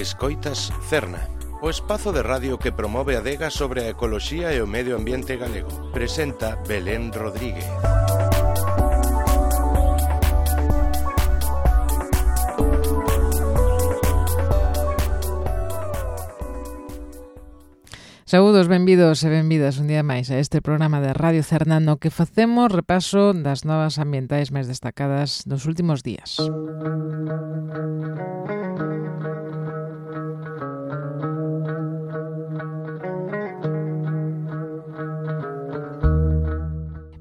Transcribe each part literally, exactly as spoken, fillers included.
Escoitas Cerna, o espazo de radio que promove a adega sobre a ecoloxía e o medio ambiente galego. Presenta Belén Rodríguez. Saúdos, benvidos e benvidas un día máis a este programa de Radio Cerna no que facemos repaso das novas ambientais máis destacadas dos últimos días.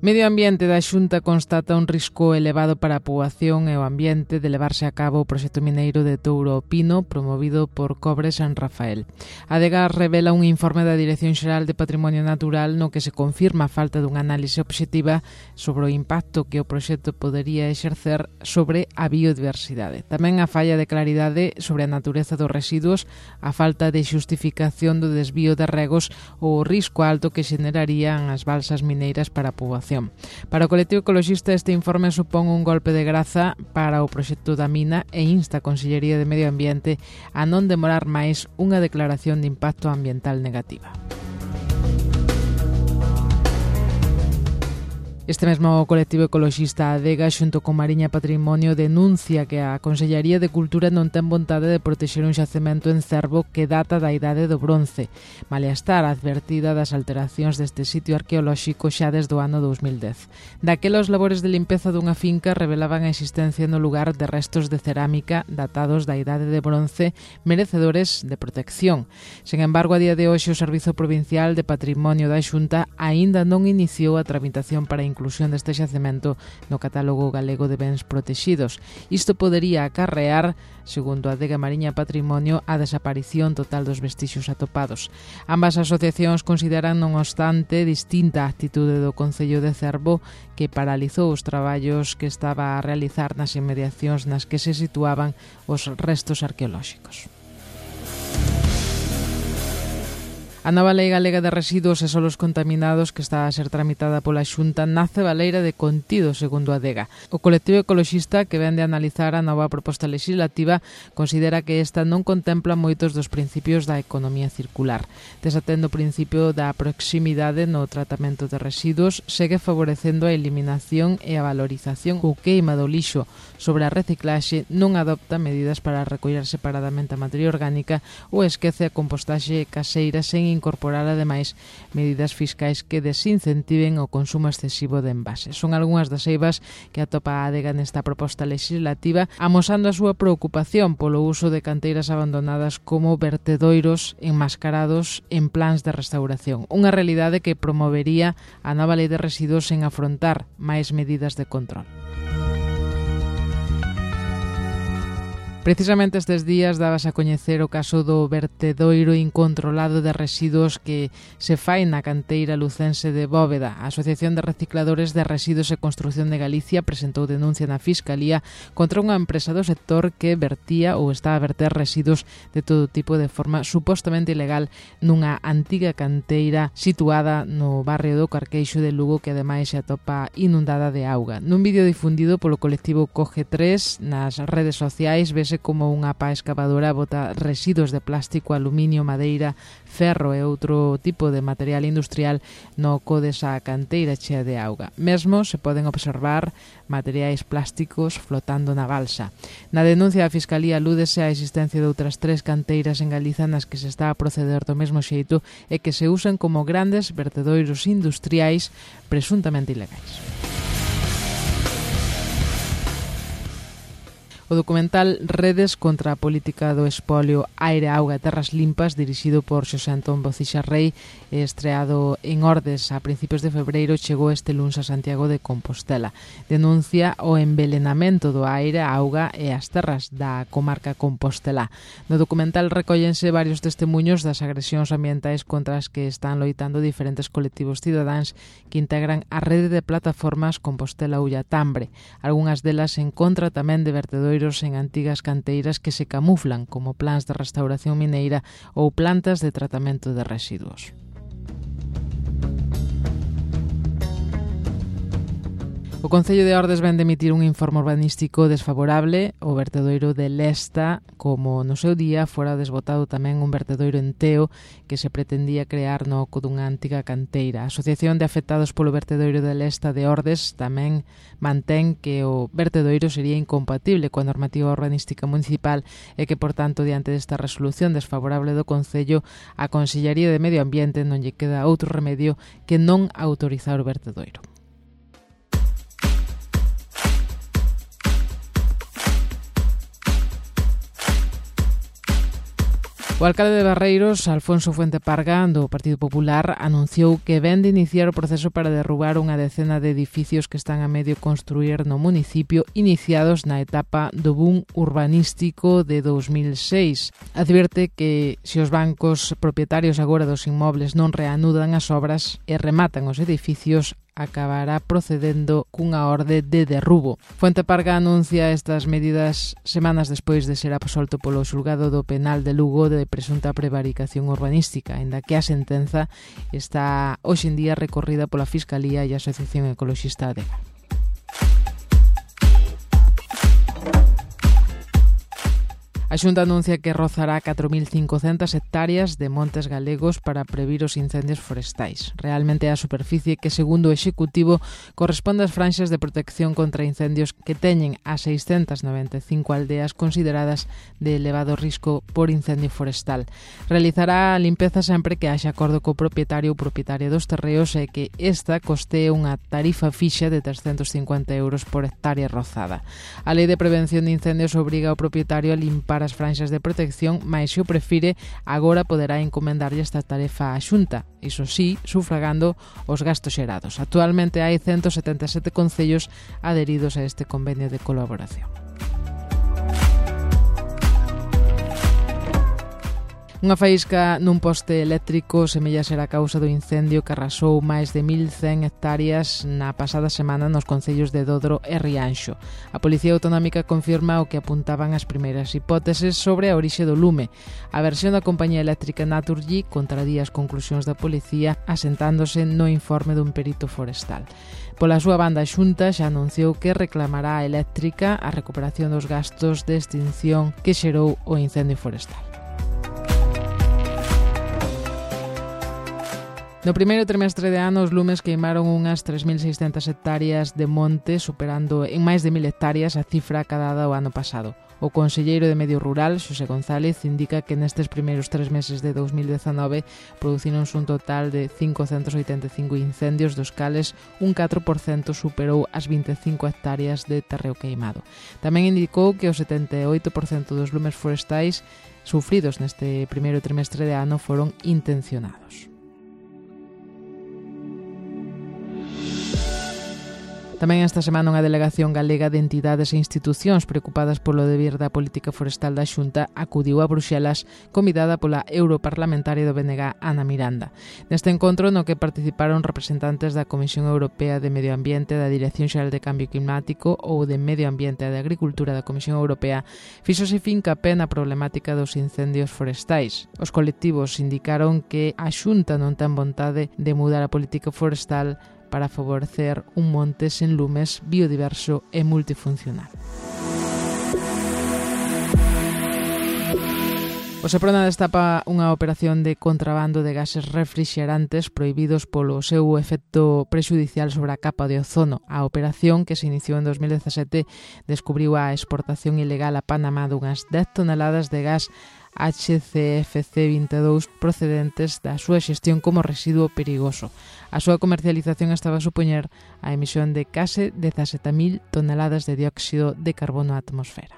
Medio Ambiente da Xunta constata un risco elevado para a poboación e o ambiente de levarse a cabo o proxecto mineiro de Touro ao Pino promovido por Cobre San Rafael. A adega revela un informe da Dirección Xeral de Patrimonio Natural no que se confirma a falta dunha análise obxectiva sobre o impacto que o proxecto podería exercer sobre a biodiversidade. Tamén a falla de claridade sobre a natureza dos residuos, a falta de xustificación do desvío de regos ou o risco alto que xenerarían as balsas mineiras para a poboación. Para o colectivo ecoloxista este informe supón un golpe de graza para o proxecto da mina e insta a Consellería de Medio Ambiente a non demorar máis unha declaración de impacto ambiental negativa. Este mesmo colectivo ecoloxista Adega, xunto con Mariña Patrimonio, denuncia que a Consellería de Cultura non ten vontade de protexer un xacemento en Cervo que data da idade do bronce, malia estar advertida das alteracións deste sitio arqueolóxico xa desde o ano dous mil dez. Daquela, os labores de limpeza dunha finca revelaban a existencia no lugar de restos de cerámica datados da idade de bronce merecedores de protección. Sen embargo, a día de hoxe o Servizo Provincial de Patrimonio da Xunta aínda non iniciou a tramitación para incluir inclusión deste xacemento no catálogo galego de bens protexidos. Isto podería acarrear, segundo a Adega Mariña Patrimonio, a desaparición total dos vestixios atopados. Ambas asociacións consideran, non obstante, distinta a actitude do Concello de Cervo, que paralizou os traballos que estaba a realizar nas inmediacións nas que se situaban os restos arqueolóxicos. A nova Lei Galega de Residuos e Solos Contaminados que está a ser tramitada pola Xunta nace baleira de contido, segundo a Adega. O colectivo ecoloxista que vén de analizar a nova proposta legislativa considera que esta non contempla moitos dos principios da economía circular. Desatendo o principio da proximidade no tratamento de residuos, segue favorecendo a eliminación e a valorización ou queima do lixo. Sobre a reciclaxe, non adopta medidas para recoller separadamente a materia orgánica ou esquece a compostaxe caseira sen incorporar ademais medidas fiscais que desincentiven o consumo excesivo de envases. Son algunhas das eivas que atopa a Adega nesta proposta legislativa, amosando a súa preocupación polo uso de canteiras abandonadas como vertedoiros enmascarados en plans de restauración. Unha realidade que promovería a nova lei de residuos en afrontar máis medidas de control. Precisamente estes días dabas a coñecer o caso do vertedoiro incontrolado de residuos que se fai na canteira lucense de Bóveda. A Asociación de Recicladores de Residuos e Construción de Galicia presentou denuncia na Fiscalía contra unha empresa do sector que vertía ou está a verter residuos de todo tipo de forma supostamente ilegal nunha antiga canteira situada no barrio do Carqueixo de Lugo, que ademais se atopa inundada de auga. Nun vídeo difundido polo colectivo Coge tres nas redes sociais ves como unha pá excavadora bota residuos de plástico, aluminio, madeira, ferro e outro tipo de material industrial no co desa canteira chea de auga. Mesmo se poden observar materiais plásticos flotando na balsa. Na denuncia da Fiscalía alúdese á existencia de outras tres canteiras en Galiza nas que se está a proceder do mesmo xeito e que se usan como grandes vertedoiros industriais presuntamente ilegais. O documental Redes contra a política do espolio, aire, auga e terras limpas, dirixido por Xosé Antón Bocixa Rei, estreado en Ordes a principios de febreiro, chegou este luns a Santiago de Compostela. Denuncia o envelenamento do aire, a auga e as terras da comarca compostelá. No documental recóllense varios testemunhos das agresións ambientais contra as que están loitando diferentes colectivos cidadáns que integran a rede de plataformas Compostela Ullatambre. Algúnas delas en contra tamén de vertedoiros en antigas canteiras que se camuflan como plans de restauración mineira ou plantas de tratamento de residuos. O O Concello de Ordes ven de emitir un informe urbanístico desfavorable ao vertedoiro de Lesta, como no seu día fora desbotado tamén un vertedoiro en Teo que se pretendía crear no oco dunha antiga canteira. A Asociación de Afectados polo vertedoiro de Lesta de Ordes tamén mantén que o vertedoiro sería incompatible coa normativa urbanística municipal e que, por tanto, diante desta resolución desfavorable do Concello, a Consellería de Medio Ambiente non lle queda outro remedio que non autorizar o vertedoiro. O alcalde de Barreiros, Alfonso Fuente Parga, do Partido Popular, anunciou que ven de iniciar o proceso para derrubar unha decena de edificios que están a medio construir no municipio, iniciados na etapa do boom urbanístico de dous mil seis. Advierte que se os bancos propietarios agora dos inmobles non reanudan as obras e rematan os edificios, acabará procedendo cunha orde de derrubo. Fuente Parga anuncia estas medidas semanas despois de ser absolto polo xulgado do penal de Lugo de presunta prevaricación urbanística, aínda que a sentenza está hoxe en día recorrida pola Fiscalía e a Asociación Ecoloxista Adega. A Xunta anuncia que rozará catro mil cincocentas hectáreas de montes galegos para previr os incendios forestais. Realmente é a superficie que, segundo o Executivo, corresponde ás franxas de protección contra incendios que teñen a seiscentas noventa e cinco aldeas consideradas de elevado risco por incendio forestal. Realizará a limpeza sempre que haxa acordo co propietario ou propietaria dos terreos e que esta costee unha tarifa fixa de trescentos cincuenta euros por hectárea rozada. A Lei de Prevención de Incendios obriga ao propietario a limpar as franxas de protección, mais se o prefire, agora poderá encomendarlle esta tarefa á Xunta, iso sí, sufragando os gastos xerados. Actualmente hai ciento setenta e sete concellos adheridos a este convenio de colaboración. Unha faísca nun poste eléctrico semella ser a causa do incendio que arrasou máis de mil cen hectáreas na pasada semana nos concellos de Dodro e Rianxo. A Policía Autonómica confirma o que apuntaban as primeiras hipóteses sobre a orixe do lume. A versión da compañía eléctrica Naturgy contradía as conclusións da policía asentándose no informe dun perito forestal. Pola súa banda, a Xunta xa anunciou que reclamará a eléctrica a recuperación dos gastos de extinción que xerou o incendio forestal. No primeiro trimestre de ano, os lumes queimaron unhas tres mil seiscentas hectáreas de monte, superando en máis de mil hectáreas a cifra acadada o ano pasado. O conselleiro de Medio Rural, Xosé González, indica que nestes primeiros tres meses de dous mil dezanove producironse un total de quinhentos oitenta e cinco incendios, dos cales un catro por cento superou as vinte e cinco hectáreas de terreo queimado. Tamén indicou que o setenta e oito por cento dos lumes forestais sufridos neste primeiro trimestre de ano foron intencionados. Tamén esta semana unha delegación galega de entidades e institucións preocupadas polo devir da política forestal da Xunta acudiu a Bruxelas convidada pola europarlamentaria do B N G, Ana Miranda. Neste encontro, no que participaron representantes da Comisión Europea de Medio Ambiente, da Dirección Xeral de Cambio Climático ou de Medio Ambiente e de Agricultura da Comisión Europea, fíxose fincapé na problemática dos incendios forestais. Os colectivos indicaron que a Xunta non ten vontade de mudar a política forestal para favorecer un monte sen lumes, biodiverso e multifuncional. O Seprona destapa unha operación de contrabando de gases refrixerantes prohibidos polo seu efecto prexudicial sobre a capa de ozono. A operación, que se iniciou en dos mil dezasete, descubriu a exportación ilegal a Panamá dunhas dez toneladas de gas H C F C vinte e dous procedentes da súa xestión como residuo perigoso. A súa comercialización estaba a supoñer a emisión de case dezasete mil toneladas de dióxido de carbono á atmosfera.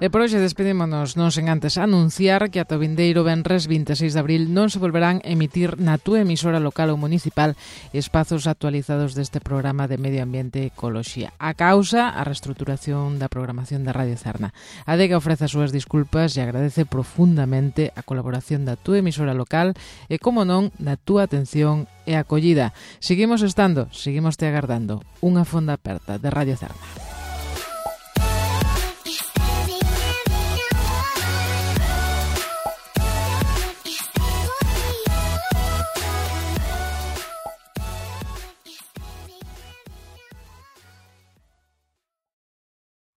E por hoxe despedímonos non sen antes anunciar que ata o vindeiro venres vinte e seis de abril non se volverán a emitir na túa emisora local ou municipal espazos actualizados deste programa de Medio Ambiente e Ecoloxía. A causa, a reestruturación da programación da Radio Cerna. A Adega ofrece as súas disculpas e agradece profundamente a colaboración da túa emisora local e, como non, da túa atención e acollida. Seguimos estando, seguimos te agardando. Unha fonda aperta de Radio Cerna.